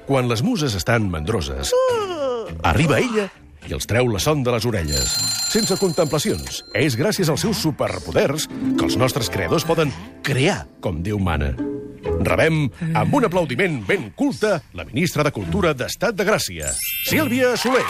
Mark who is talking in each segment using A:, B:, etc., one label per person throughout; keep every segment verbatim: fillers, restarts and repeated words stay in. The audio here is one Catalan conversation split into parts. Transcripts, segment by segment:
A: Quan les muses estan mandroses, arriba ella i els treu la son de les orelles. Sense contemplacions. És gràcies als seus superpoders que els nostres creadors poden crear com Déu mana. Rebem, amb un aplaudiment ben culte, la ministra de Cultura d'Estat de Gràcia, Sílvia Soler.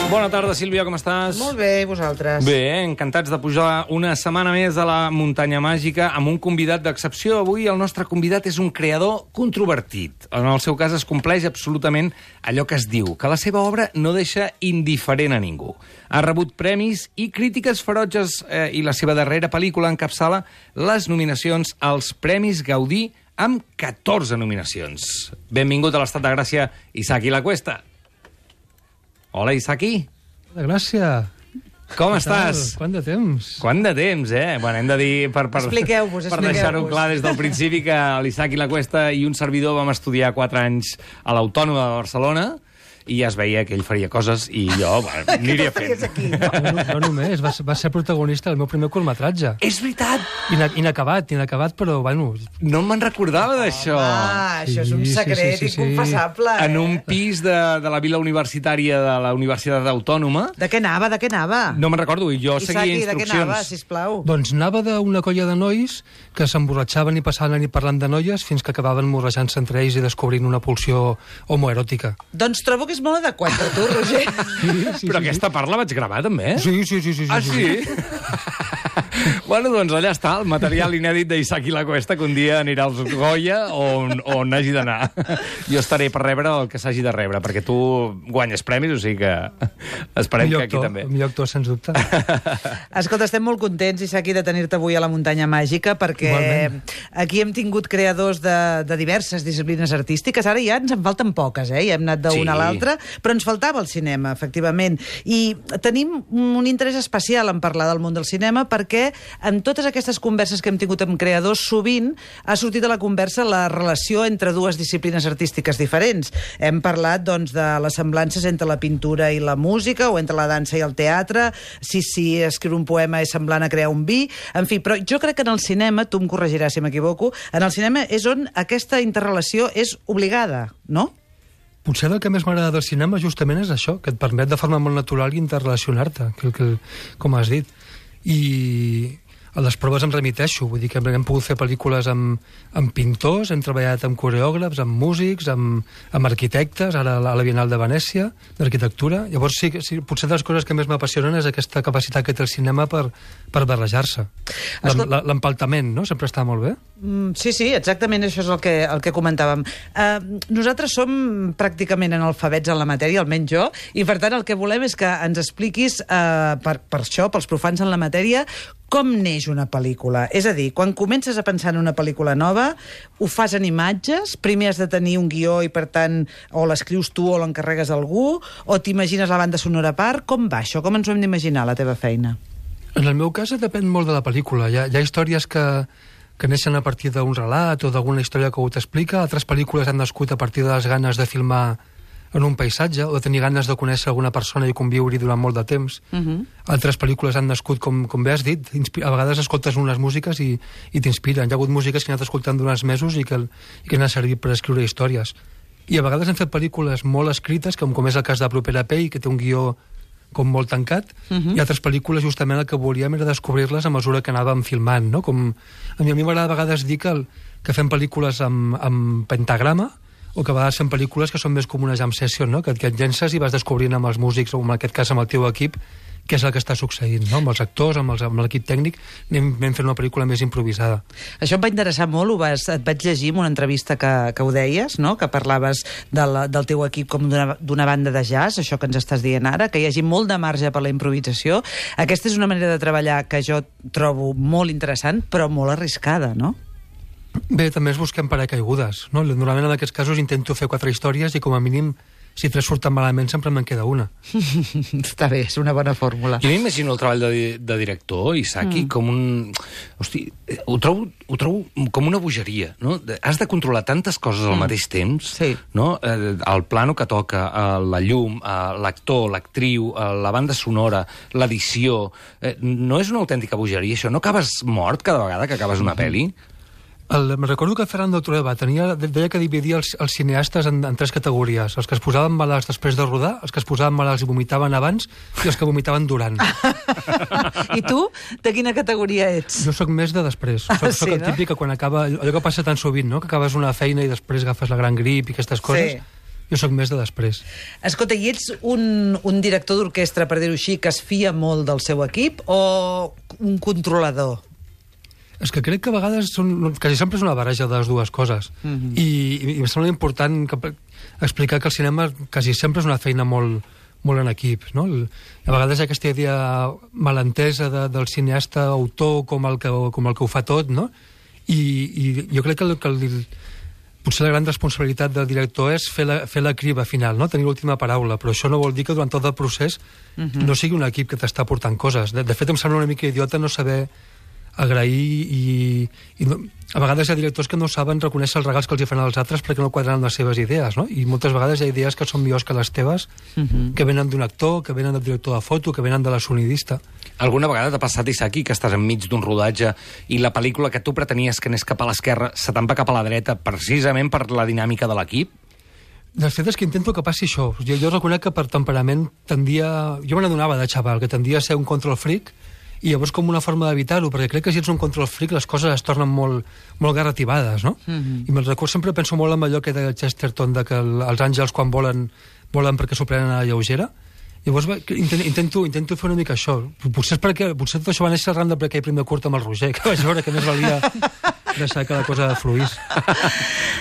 B: Bona tarda, Sílvia, com estàs?
C: Molt bé, i vosaltres?
B: Bé, encantats de pujar una setmana més a la Muntanya Màgica amb un convidat d'excepció. Avui el nostre convidat és un creador controvertit. En el seu cas es compleix absolutament allò que es diu, que la seva obra no deixa indiferent a ningú. Ha rebut premis i crítiques ferotges eh, i la seva darrera pel·lícula encapçala les nominacions als Premis Gaudí amb catorze nominacions. Benvingut a l'Estat de Gràcia, Isaki Lacuesta. Hola, Isaki.
D: Hola, Gràcia.
B: Com estàs?
D: Quant de temps?
B: Quant de temps, eh? Bueno, hem de dir, per, per,
C: expliqueu-vos,
B: per deixar-ho clar des del principi, que l'Isaki Lacuesta i un servidor vam estudiar quatre anys a l'Autònoma de Barcelona i ja es veia que ell faria coses i jo bueno, aniria fent.
D: No, no, no només, va, va ser protagonista del meu primer curtmetratge.
B: És veritat!
D: Ina, inacabat, inacabat, però, bueno...
B: No me'n recordava d'això.
C: Ah, això és un
D: Sí, sí,
C: secret
D: sí, sí, sí.
C: inconfessable.
B: En un
C: Eh?
B: pis de, de la vila universitària de la Universitat Autònoma.
C: De què anava, de què anava?
B: No me'n recordo, i jo seguia
C: Isaki, de què anava,
B: instruccions.
C: sisplau?
D: Doncs anava d'una colla de nois que s'emborratxaven i passaven la nit parlant de noies fins que acabaven morrejant-se entre ells i descobrint una pulsió homoeròtica.
C: Doncs trobo que és molt adequat per tu, Roger.
D: Sí, sí,
B: Però
D: sí,
B: aquesta part la vaig gravar, també, eh?
D: Sí, sí, sí. sí,
B: Ah,
D: sí?
B: sí? Bueno, doncs allà està, el material inèdit d'Isaki Lacuesta, que un dia anirà als Goya on, on hagi d'anar. Jo estaré per rebre el que s'hagi de rebre, perquè tu guanyes premis, o sigui que esperem
D: Millor
B: que aquí
D: actor,
B: també.
D: millor actor, sens dubte.
C: Escolta, estem molt contents, Isaki, de tenir-te avui a la Muntanya Màgica, perquè
D: Igualment.
C: aquí hem tingut creadors de, de diverses disciplines artístiques. Ara ja ens en falten poques, eh? Ja hem anat d'una
B: Sí.
C: a l'altra, però ens faltava el cinema, efectivament. I tenim un interès especial en parlar del món del cinema perquè en totes aquestes converses que hem tingut amb creadors sovint ha sortit a la conversa la relació entre dues disciplines artístiques diferents. Hem parlat, doncs, de les semblances entre la pintura i la música o entre la dansa i el teatre, si, si escriure un poema és semblant a crear un vi, en fi, però jo crec que en el cinema, tu em corregiràs si m'equivoco, en el cinema és on aquesta interrelació és obligada, no?
D: Potser el que més m'agrada del cinema justament és això, que et permet de forma molt natural interrelacionar-te, que, que, com has dit. I a les proves em remiteixo, vull dir que hem pogut fer pel·lícules amb, amb pintors, hem treballat amb coreògrafs, amb músics, amb, amb arquitectes, ara a la, a la Bienal de Venècia, d'arquitectura. Llavors sí, sí, potser de les coses que més m'apassionen és aquesta capacitat que té el cinema per, per barrejar-se.
C: Escolta-
D: L'empaltament, no?, sempre està molt bé.
C: Mm, sí, sí, exactament això és el que, el que comentàvem. Uh, nosaltres som pràcticament analfabets en la matèria, almenys jo, i per tant el que volem és que ens expliquis, uh, per, per això, pels profans en la matèria, com neix una pel·lícula. És a dir, quan comences a pensar en una pel·lícula nova, ho fas en imatges, primer has de tenir un guió i per tant o l'escrius tu o l'encarregues a algú, o t'imagines la banda sonora a part, com va això? Com ens ho hem d'imaginar, la teva feina?
D: En el meu cas depèn molt de la pel·lícula. Hi ha, hi ha històries que, que neixen a partir d'un relat o d'alguna història que ho t'explica, altres pel·lícules han nascut a partir de les ganes de filmar en un paisatge o de tenir ganes de conèixer alguna persona i conviure-hi durant molt de temps.
C: Uh -huh.
D: Altres pel·lícules han nascut, com, com bé has dit, a vegades escoltes unes músiques i, i t'inspiren. Hi ha hagut músiques que he anat escoltant durant mesos i que, i que han servit per escriure històries. I a vegades hem fet pel·lícules molt escrites, com, com és el cas de Propera Pell, que té un guió com molt tancat, uh -huh. i altres pel·lícules justament el que volíem era descobrir-les a mesura que anàvem filmant, no? Com, a mi a mi m'agrada a vegades dir que, el, que fem pel·lícules amb, amb pentagrama, o que a vegades fem pel·lícules que són més com una jam session, no? que, que et llences i vas descobrint amb els músics, o en aquest cas amb el teu equip, què és el que està succeint, no? Amb els actors, amb, els, amb l'equip tècnic, anem, anem fent una pel·lícula més improvisada.
C: Això em va interessar molt, ho vas, et vaig llegir en una entrevista que, que ho deies, no? Que parlaves de la, del teu equip com d'una banda de jazz, això que ens estàs dient ara, que hi hagi molt de marge per la improvisació. Aquesta és una manera de treballar que jo trobo molt interessant, però molt arriscada, no?
D: Bé, també es busquem paracaigudes, no? Normalment en aquests casos intento fer quatre històries i com a mínim si tres surten malament sempre me'n queda una.
C: Està bé, és una bona fórmula.
B: Jo m'imagino el treball de, de director, Isaki, mm. com un... Hosti, ho trobo, ho trobo com una bogeria, no? Has de controlar tantes coses al mm. mateix temps,
C: sí.
B: no? El plano que toca, la llum, l'actor, l'actriu, la banda sonora, l'edició... No és una autèntica bogeria, això? No acabes mort cada vegada que acabes una pel·li?
D: El, me recordo que Fernando Trueba tenia, deia que dividia els, els cineastes en, en tres categories. Els que es posaven malalts després de rodar, els que es posaven malalts i vomitaven abans, i els que vomitaven durant.
C: I tu, de quina categoria ets?
D: Jo sóc més de després. Soc, ah, sí, soc el no? típic que quan acaba... Allò que passa tan sovint, no? Que acabes una feina i després agafes la gran grip i aquestes coses. Sí. Jo sóc més de després.
C: Escolta, i ets un, un director d'orquestra, per dir-ho així, que es fia molt del seu equip, o un controlador?
D: És que crec que a vegades són, quasi sempre és una barreja de les dues coses. Mm-hmm. I, i em sembla important que, explicar que el cinema quasi sempre és una feina molt, molt en equip, no? A vegades hi ha aquesta idea malentesa de, del cineasta autor com el, que, com el que ho fa tot, no? I, i jo crec que, el, que el, potser la gran responsabilitat del director és fer la, fer la criba final, no? Tenir l'última paraula, però això no vol dir que durant tot el procés mm-hmm. no sigui un equip que t'està portant coses. De, de fet, em sembla una mica idiota no saber agrair i, i no, a vegades hi ha directors que no saben reconèixer els regals que els hi fan als altres perquè no quadren les seves idees, no? I moltes vegades hi ha idees que són millors que les teves, uh-huh. que venen d'un actor, que venen del director de foto, que venen de la sonidista.
B: Alguna vegada t'ha passat, Isaki, que estàs enmig d'un rodatge i la pel·lícula que tu pretenies que anés cap a l'esquerra se te'n va cap a la dreta precisament per la dinàmica de l'equip?
D: De fet, és que intento que passi això. Jo, jo reconec que per temperament tendia... Jo me n'adonava de xaval, que tendia a ser un control freak, i llavors com una forma d'evitar-ho, perquè crec que si ets un control freak les coses es tornen molt, molt garrativades, no? Mm-hmm. I me'n recordo, sempre penso molt en allò que de Chesterton, de que el, els àngels quan volen, volen perquè s'ho prenen a la lleugera. Llavors intento, intento fer una mica això. Potser, és perquè, potser tot això va néixer arran de perquè hi prim de curt amb el Roger, que vaig veure que més valia deixar que la cosa fluís.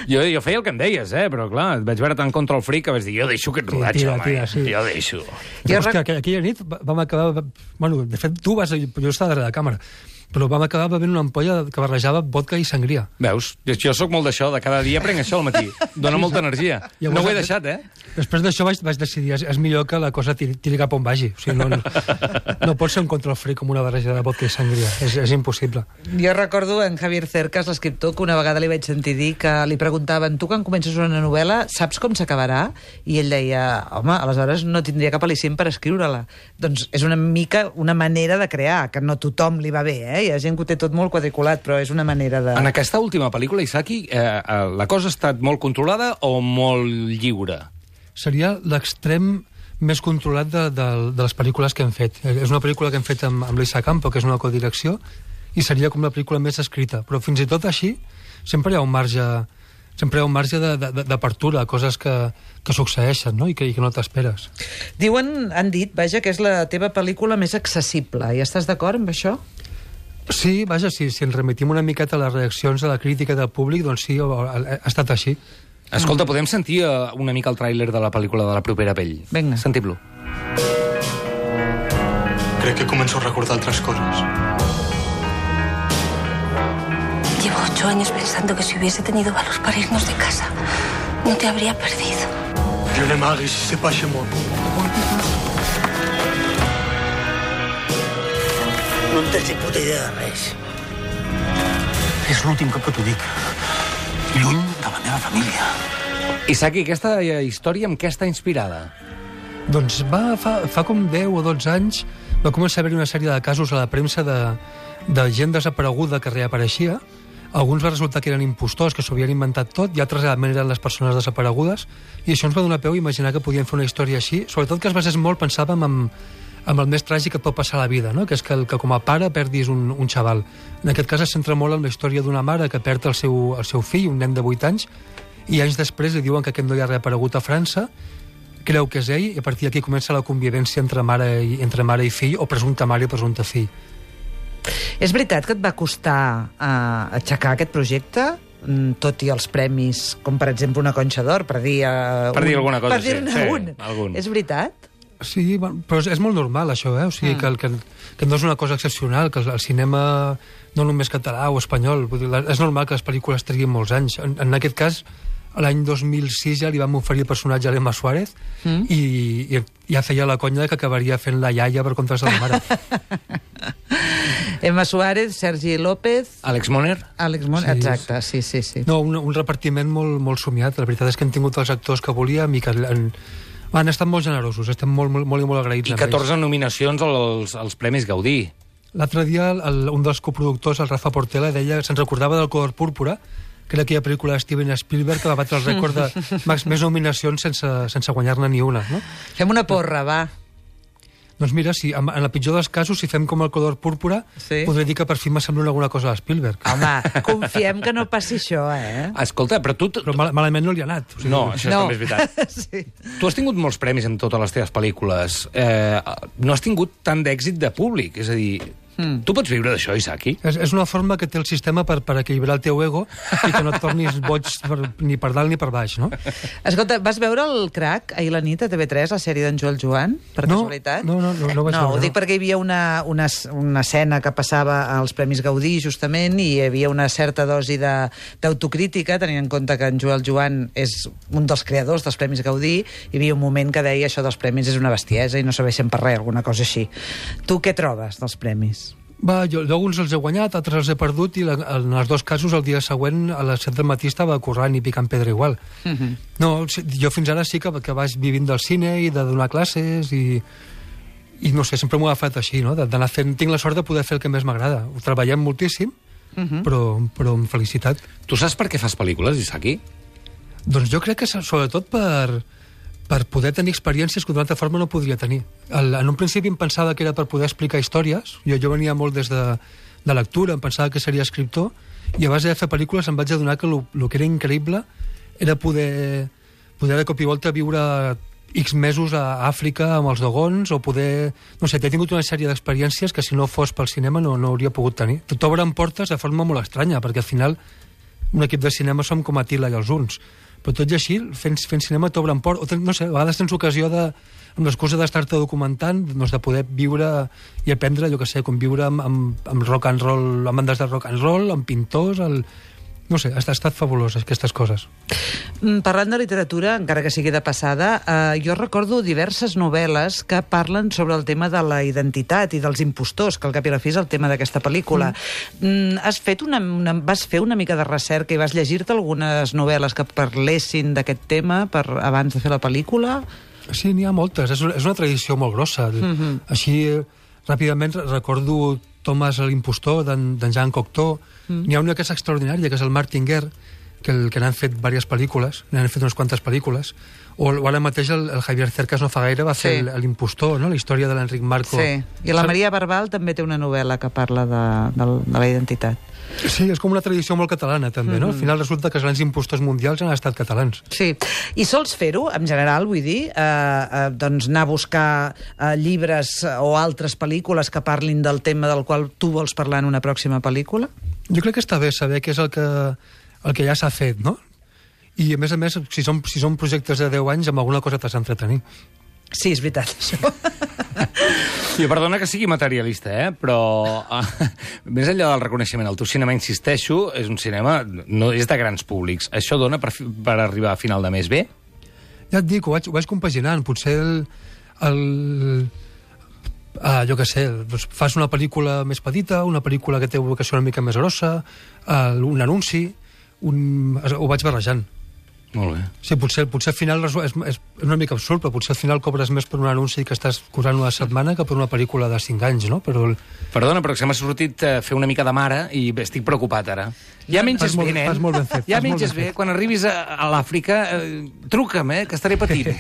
B: Jo, jo feia el que em deies, eh? Però clar, et vaig veure tan control freak que vaig dir, jo deixo aquest rodatge,
D: sí, tira,
B: home.
D: tira, sí.
B: Jo deixo.
D: Jo rec... que aquella nit vam acabar... Bueno, de fet, tu vas... Jo estava darrere de càmera. Però vam acabar bevent una ampolla que barrejava vodka i sangria.
B: Veus? Jo, jo sóc molt d'això, de cada dia prenc això al matí. Dóna molta energia. No ho he deixat, eh?
D: Després d'això vaig, vaig decidir, és, és millor que la cosa tiri, tiri cap on vagi. O sigui, no, no, no pot ser un control freak com una barreja de vodka i sangria. És, és impossible.
C: Jo recordo en Javier Cercas, l'escriptor, que una vegada li vaig sentir dir que li preguntaven, tu quan comences una novel·la saps com s'acabarà? I ell deia, home, aleshores no tindria cap al·licient per escriure-la. Doncs és una mica una manera de crear, que no tothom li va bé, eh? Hi ha gent que ho té tot molt quadriculat, però és una manera de...
B: En aquesta última pel·lícula, Isaki, eh, eh, la cosa ha estat molt controlada o molt lliure?
D: Seria l'extrem més controlat de, de, de les pel·lícules que hem fet. És una pel·lícula que hem fet amb, amb l'Isa Campo, que és una codirecció, i seria com la pel·lícula més escrita. Però fins i tot així, sempre hi ha un marge, sempre hi ha un marge d'apertura, coses que, que succeeixen, no? I que, i que no t'esperes.
C: Diuen, han dit, vaja, que és la teva pel·lícula més accessible. I estàs d'acord amb això?
D: Sí, vaja, sí, si ens remitim una miqueta a les reaccions de la crítica del públic, doncs sí, ha, ha estat així.
B: Escolta, podem sentir una mica el tràiler de la pel·lícula de La propera pell?
C: Vinga.
B: Sentim-lo.
E: Crec que començo a recordar altres coses.
F: Llevo ocho años pensando que si hubiese tenido valor para irnos de casa, no te habría perdido.
E: Jo ne m'haguis, c'est pas chez moi.
G: No en tens ni puta idea de res.
E: És l'últim cop que t'ho dic. Lluny de la meva família.
B: Isaki, aquesta història amb què està inspirada?
D: Doncs va, fa, fa com deu o dotze anys va començar a haver una sèrie de casos a la premsa de, de gent desapareguda que reapareixia. Alguns va resultar que eren impostors, que s'ho havien inventat tot, i altres realment eren les persones desaparegudes, i això ens va donar peu a imaginar que podien fer una història així, sobretot que es basés molt, pensàvem, en, amb el més tràgic que et pot passar a la vida, no? Que és que, el, que com a pare perdis un, un xaval. En aquest cas es centra molt en la història d'una mare que perd el seu, el seu fill, un nen de vuit anys, i anys després li diuen que aquest noi ha reaparegut a França, creu que és ell, i a partir d'aquí comença la convivència entre mare i, entre mare i fill, o presumpta mare i presumpte fill.
C: És veritat que et va costar uh, aixecar aquest projecte? Tot i els premis, com per exemple una Conxa d'Or, per dir... Uh,
B: per dir un, alguna cosa,
C: per dir-ne
B: sí.
C: un.
B: sí algun.
C: És veritat?
D: Sí, però és molt normal, això, eh? O sigui, mm. que, que, que no és una cosa excepcional, que el cinema, no només català o espanyol, vull dir, és normal que les pel·lícules triguin molts anys. En, en aquest cas, l'any dos mil sis ja li vam oferir el personatge a l'Emma Suárez mm. i, i ja feia la conya que acabaria fent la iaia per contra de la mare.
C: Emma Suárez, Sergi López...
B: Àlex Moner?
C: Àlex Moner, sí, exacte, sí, sí, sí.
D: No, un, un repartiment molt, molt somiat. La veritat és que hem tingut els actors que volíem i que han, han estat molt generosos, estem molt, molt, molt, molt agraïts.
B: I catorze nominacions als, als Premis Gaudí.
D: L'altre dia el, un dels coproductors, el Rafa Portela, deia que se'n recordava del Color Púrpura, que era aquella pel·lícula de Steven Spielberg que va batre el rècord de més nominacions sense, sense guanyar-ne ni una. No?
C: Fem una porra, va.
D: Doncs mira, si, en, en el pitjor dels casos, si fem com el Color Púrpura, sí. podré dir que per fi m'assembla alguna cosa a Spielberg.
C: Home, confiem que no passi això, eh?
B: Escolta, però tu...
D: Però mal, malament no li ha anat.
B: O sigui, no, això no. també és veritat. sí. Tu has tingut molts premis en totes les teves pel·lícules. Eh, no has tingut tant d'èxit de públic, és a dir... Mm. Tu pots viure d'això, Isaki?
D: És, és una forma que té el sistema per, per equilibrar el teu ego i que no et tornis boig per, ni per dalt ni per baix, no?
C: Escolta, vas veure el Crac ahir a la nit a T V tres, la sèrie d'en Joel Joan, per
D: no,
C: casualitat?
D: No, no, no, no vaig
C: no,
D: veure.
C: Ho dic perquè hi havia una, una, una escena que passava als Premis Gaudí, justament, i hi havia una certa dosi d'autocrítica, tenint en compte que en Joel Joan és un dels creadors dels Premis Gaudí, hi havia un moment que deia això dels premis és una bestiesa i no serveixen per res, alguna cosa així. Tu què trobes dels premis?
D: Va, jo, alguns els he guanyat, altres els he perdut i la, en els dos casos el dia següent a les set del matí estava corrent i picant pedra igual. Uh -huh. No, jo fins ara sí que, que vaig vivint del cine i de donar classes i, i no sé, sempre m'ho he agafat així, no? D'anar fent, tinc la sort de poder fer el que més m'agrada. Ho treballem moltíssim, uh -huh. però, però amb felicitat.
B: Tu saps per què fas pel·lícules, Isaki?
D: Doncs jo crec que sobretot per... per poder tenir experiències que d'una altra forma no podria tenir. El, en un principi em pensava que era per poder explicar històries, jo, jo venia molt des de, de lectura, em pensava que seria escriptor, i a base de fer pel·lícules em vaig adonar que el que era increïble era poder, poder de cop i volta viure X mesos a Àfrica amb els dogons, o poder... No sé, he tingut una sèrie d'experiències que si no fos pel cinema no, no hauria pogut tenir. T'obren portes de forma molt estranya, perquè al final un equip de cinema som com Atila i els Huns, però tot i així, fent, fent cinema t'obren port, o ten, no sé, a vegades tens ocasió de, amb l'excusa d'estar-te documentant, doncs de poder viure i aprendre, jo que sé, com viure amb, amb, amb rock and roll, amb bandes de rock and roll, amb pintors, el... no sé, ha estat fabulós, aquestes coses.
C: Parlant de literatura, encara que sigui de passada, eh, jo recordo diverses novel·les que parlen sobre el tema de la identitat i dels impostors, que al cap i a la fi és el tema d'aquesta pel·lícula. Mm. Has fet una, una, vas fer una mica de recerca i vas llegir-te algunes novel·les que parlessin d'aquest tema per, abans de fer la pel·lícula?
D: Sí, n'hi ha moltes. És una, és una tradició molt grossa. Mm-hmm. Així, ràpidament, recordo Thomas l'impostor, d'en Jean Cocteau. Mm. N'hi ha una que és extraordinària, que és el Martin Guerre, que, el, que n'han fet diverses pel·lícules, n'han fet unes quantes pel·lícules, o, o ara mateix el, el Javier Cercas no fa gaire va fer sí. l'impostor, no? La història de l'Enric Marco.
C: Sí, i la Maria Barbal també té una novel·la que parla de, de, de la identitat.
D: Sí, és com una tradició molt catalana, també, no? Mm-hmm. Al final resulta que els grans impostors mundials han estat catalans.
C: Sí, i sols fer-ho, en general, vull dir, eh, eh, doncs anar a buscar eh, llibres o altres pel·lícules que parlin del tema del qual tu vols parlar en una pròxima pel·lícula?
D: Jo crec que està bé saber què és el que, el que ja s'ha fet, no? I, a més a més, si són, si són projectes de deu anys, amb alguna cosa t'has d'entretenir.
C: Sí, és veritat, això.
B: Jo, perdona que sigui materialista, eh? Però uh, més enllà del reconeixement, el teu cinema, insisteixo, és un cinema, no és de grans públics. Això dona per, per arribar a final de mes bé?
D: Ja et dic, ho vaig, ho vaig compaginant. Potser el... el ah, jo què sé, doncs fas una pel·lícula més petita, una pel·lícula que té vocació una mica més grossa, uh, un anunci, un... ho vaig barrejant.
B: Molt bé.
D: Sí, potser, potser al final és, és una mica absurd, però potser al final cobres més per un anunci que estàs cobrant una setmana que per una pel·lícula de cinc anys, no? Però...
B: Perdona, però que se m'ha sortit uh, fer una mica de mare i estic preocupat ara. Ja menges bé, nen.
D: Fas molt ben fet.
B: Ja menges bé. Quan arribis a, a l'Àfrica, eh, truca'm, eh, que estaré patint.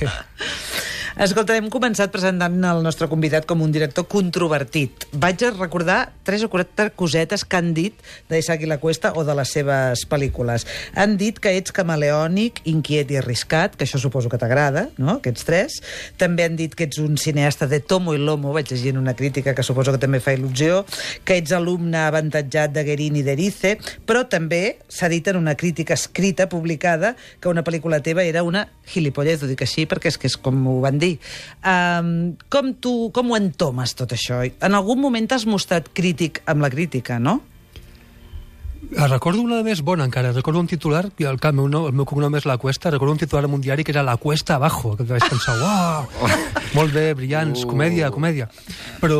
C: Escolta, hem començat presentant el nostre convidat com un director controvertit. Vaig a recordar tres o quatre cosetes que han dit d'Isaki La Cuesta o de les seves pel·lícules. Han dit que ets camaleònic, inquiet i arriscat, que això suposo que t'agrada, no?, aquests tres. També han dit que ets un cineasta de tomo i lomo, vaig llegir en una crítica que suposo que també fa il·lusió, que ets alumne avantatjat de Guerin i d'Erice, però també s'ha dit en una crítica escrita, publicada, que una pel·lícula teva era una gilipollez, ho dic així perquè és que és com ho van dir. Um, com tu, com ho entomes tot això? En algun moment t'has mostrat crític amb la crítica, no?
D: Recordo una més bona encara, recordo un titular, i el, el, meu, no, el meu cognom és La Cuesta, recordo un titular en un diari que era La Cuesta Abajo, que vaig pensar, uau, molt bé, brillants, uh. comèdia, comèdia. Però,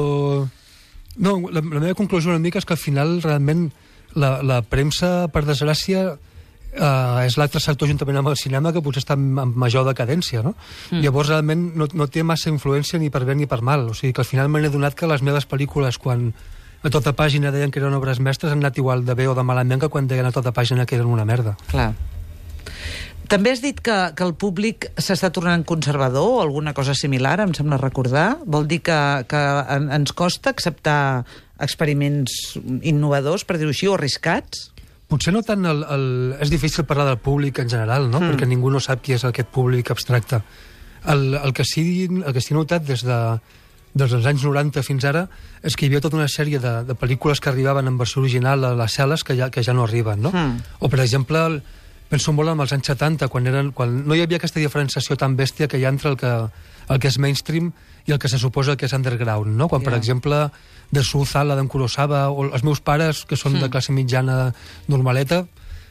D: no, la, la meva conclusió una mica és que al final realment la, la premsa, per desgràcia, Uh, és l'altre sector juntament amb el cinema que potser està en major decadència, no? Mm. Llavors realment no, no té massa influència ni per bé ni per mal, o sigui que al final m'he adonat que les meves pel·lícules, quan a tota pàgina deien que eren obres mestres, han anat igual de bé o de malament que quan deien a tota pàgina que eren una merda.
C: Clar. També has dit que, que el públic s'està tornant conservador o alguna cosa similar, em sembla recordar. Vol dir que, que en, ens costa acceptar experiments innovadors, per dir-ho així, o arriscats?
D: Potser no tant el, el... És difícil parlar del públic en general, no? Mm. Perquè ningú no sap qui és aquest públic abstracte. El, el, que sí, el que sí he notat des de, des dels anys noranta fins ara és que hi havia tota una sèrie de, de pel·lícules que arribaven en versió original a les sales que ja, que ja no arriben, no? Mm. O, per exemple, penso molt en els anys setanta, quan, eren, quan no hi havia aquesta diferenciació tan bèstia que hi ha entre el que, el que és mainstream i el que se suposa que és underground, no? Quan, yeah. per exemple, de Suzala, d'en Kurosawa, o els meus pares, que són mm. de classe mitjana normaleta,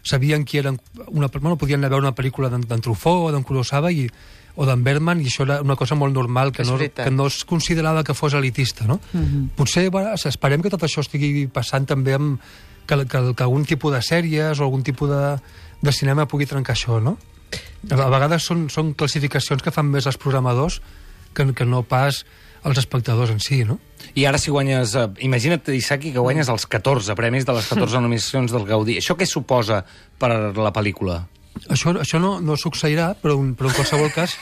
D: sabien qui eren... Una, bueno, podien anar a veure una pel·lícula d'en Truffaut o d'en Kurosawa i, o d'en Bergman, i això era una cosa molt normal, que no, que no es considerava que fos elitista, no? Mm-hmm. Potser, bueno, esperem que tot això estigui passant també amb que, que, que algun tipus de sèries o algun tipus de, de cinema pugui trencar això, no? A vegades són, són classificacions que fan més els programadors que, que no pas els espectadors en si, no?
B: I ara si guanyes... Eh, imagina't, Isaki, que guanyes els catorze premis de les catorze nominacions del Gaudí. Això què suposa per a la pel·lícula?
D: Això, això no, no succeirà, però, un, però en qualsevol cas...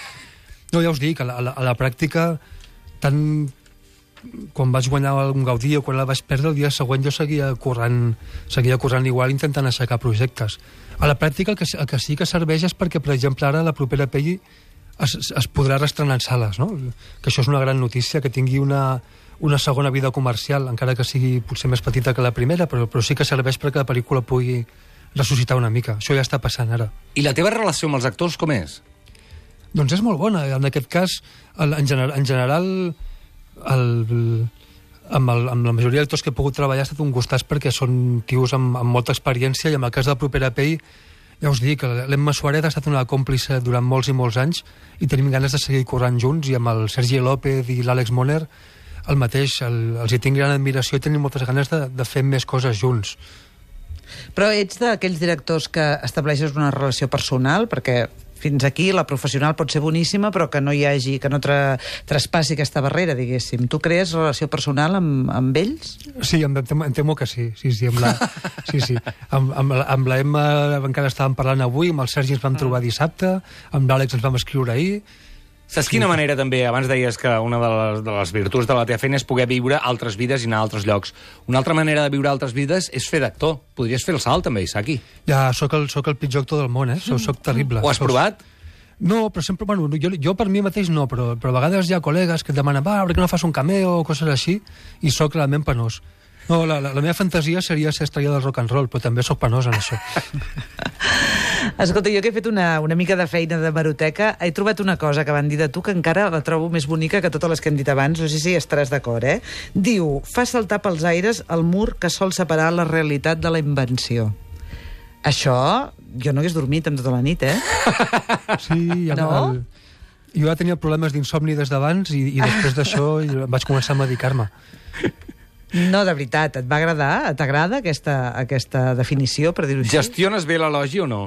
D: No, ja us dic, a la, a la, a la pràctica, tant quan vaig guanyar un Gaudí o quan la vaig perdre, el dia següent jo seguia corrent, seguia corrent igual intentant aixecar projectes. A la pràctica el que, el que sí que serveix és perquè, per exemple, ara la propera pel·li es, es podrà restrenar en sales, no? Que això és una gran notícia, que tingui una, una segona vida comercial, encara que sigui potser més petita que la primera, però, però sí que serveix perquè la pel·lícula pugui ressuscitar una mica. Això ja està passant ara.
B: I la teva relació amb els actors com és?
D: Doncs és molt bona. En aquest cas, el, en, gener, en general, el, amb, el, amb la majoria d'actors que he pogut treballar ha estat un gustàs perquè són tios amb, amb molta experiència, i en el cas de la propera pell, ja us dic, l'Emma Suárez ha estat una còmplice durant molts i molts anys i tenim ganes de seguir corrent junts, i amb el Sergi López i l'Àlex Moner el mateix, el, els hi tinc gran admiració i tenim moltes ganes de, de fer més coses junts.
C: Però ets d'aquells directors que estableixes una relació personal, perquè fins aquí la professional pot ser boníssima, però que no hi hagi, que no tra traspassi aquesta barrera, diguéssim. Tu crees relació personal amb, amb ells?
D: Sí, em, em, em temo que sí. Sí, sí, amb la, sí, sí. Amb, amb, amb la Emma encara estàvem parlant avui, amb el Sergi ens vam trobar dissabte, amb l'Àlex ens vam escriure ahir.
B: Saps quina manera també, abans deies que una de les, de les virtuts de la teva feina és poder viure altres vides i anar a altres llocs. Una altra manera de viure altres vides és fer d'actor. Podries fer el salt també, Isaki.
D: Ja, sóc el, sóc el pitjor actor del món, eh? Soc, soc terrible.
B: Ho has
D: soc...
B: provat?
D: No, però sempre, bueno, jo, jo per mi mateix no, però, però a vegades hi ha col·legues que et demanen, va, per què no fas un cameo o coses així, i sóc realment penós. No, la, la, la meva fantasia seria ser estrella del rock and roll, però també sóc penós en això.
C: Escolta, jo que he fet una, una mica de feina de meroteca, he trobat una cosa que van dir de tu que encara la trobo més bonica que totes les que hem dit abans, no sé si estaràs d'acord, eh? Diu, fa saltar pels aires el mur que sol separar la realitat de la invenció. Això, jo no hagués dormit amb tota la nit, eh?
D: Sí, ja
C: no?
D: El... Jo ja tenia problemes d'insomni des d'abans i, i després d'això vaig començar a medicar-me.
C: No, de veritat, et va agradar? T'agrada aquesta, aquesta definició, per dir-ho així?
B: Gestiones bé l'elogi o no?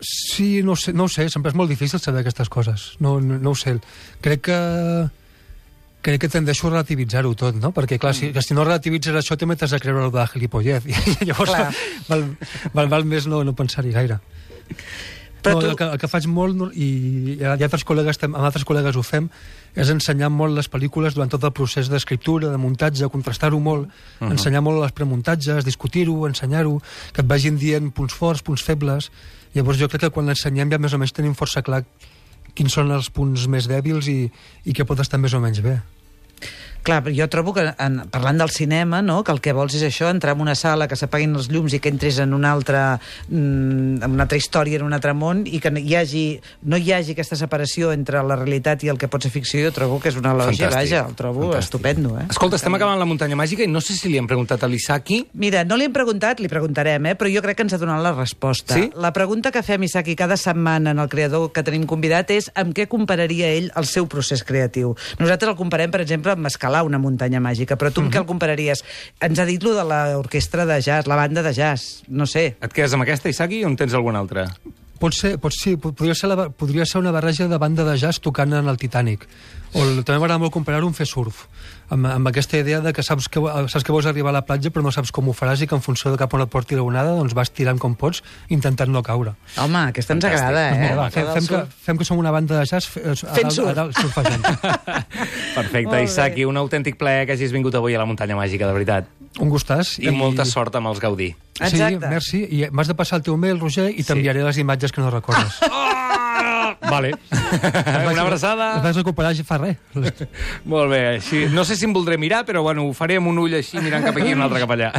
D: Sí, no ho sé, no ho sé, sempre és molt difícil saber aquestes coses. No, no, no ho sé. Crec que... Crec que tendeixo a relativitzar-ho tot, no? Perquè, clar, si, si no relativitzes això, també t'has de creure el de gilipollez. I llavors val, val, val més no, no pensar-hi gaire. Però no, tu... el, que, el que faig molt, i, i altres col·legues, amb altres col·legues ho fem, és ensenyar molt les pel·lícules durant tot el procés d'escriptura, de muntatge, contrastar-ho molt, uh -huh. ensenyar molt les premuntatges, discutir-ho, ensenyar-ho, que et vagin dient punts forts, punts febles. Llavors jo crec que quan l'ensenyem ja més o menys tenim força clar quins són els punts més dèbils i, i què pot estar més o menys bé.
C: Clar, jo trobo que, en, parlant del cinema, no, que el que vols és això, entrar en una sala, que s'apaguin els llums i que entris en una altra, mm, en una altra història, en un altre món, i que hi hagi, no hi hagi aquesta separació entre la realitat i el que pot ser ficció, jo trobo que és una elogia, vaja, el trobo
B: Fantàstic.
C: estupendo. Eh?
B: Escolta, estem acabant la muntanya màgica i no sé si li hem preguntat a l'Isaki.
C: Mira, no li hem preguntat, li preguntarem, eh? però jo crec que ens ha donat la resposta.
B: Sí?
C: La pregunta que fem, Isaki, cada setmana en el creador que tenim convidat és amb què compararia ell el seu procés creatiu. Nosaltres el comparem, per exemple, amb escalar una muntanya màgica, però tu amb uh -huh. què el compararies? Ens ha dit lo de l'orquestra de jazz, la banda de jazz, no sé.
B: Et quedes amb aquesta, Isaki, o en tens alguna altra?
D: Pot ser, pot, sí, podria ser, la, podria ser una barreja de banda de jazz tocant en el Titanic. O el, també m'agrada molt comparar-ho amb fer surf, amb, amb aquesta idea de que saps, que saps que vols arribar a la platja però no saps com ho faràs i que en funció de cap on et porti la onada doncs vas tirant com pots intentant no caure.
C: Home, aquesta ens agrada, eh?
D: Mira, va, fem, fem, que, fem que som una banda de jazz fe,
C: fent surf.
D: A dalt, surfejant.
B: Perfecte, Isaki, un autèntic plaer que hagis vingut avui a la muntanya màgica, de veritat.
D: Un gustàs.
B: I, I molta sort amb els Gaudí.
D: Sí,
C: Exacte.
D: merci. I m'has de passar el teu mail, Roger, i t'enviaré sí. les imatges que no recordes.
B: Vale. Una abraçada.
D: Les vas recuperar ja fa res.
B: Molt bé. Així, no sé si em voldré mirar, però bueno, ho faré amb un ull així, mirant cap aquí i un altre cap allà.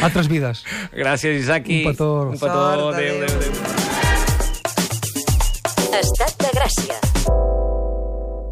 D: Altres vides.
B: Gràcies, Isaki.
D: Un petó.
B: Un petó.
C: Sort,
B: adéu, adéu, adéu.
H: Estat de Gràcia.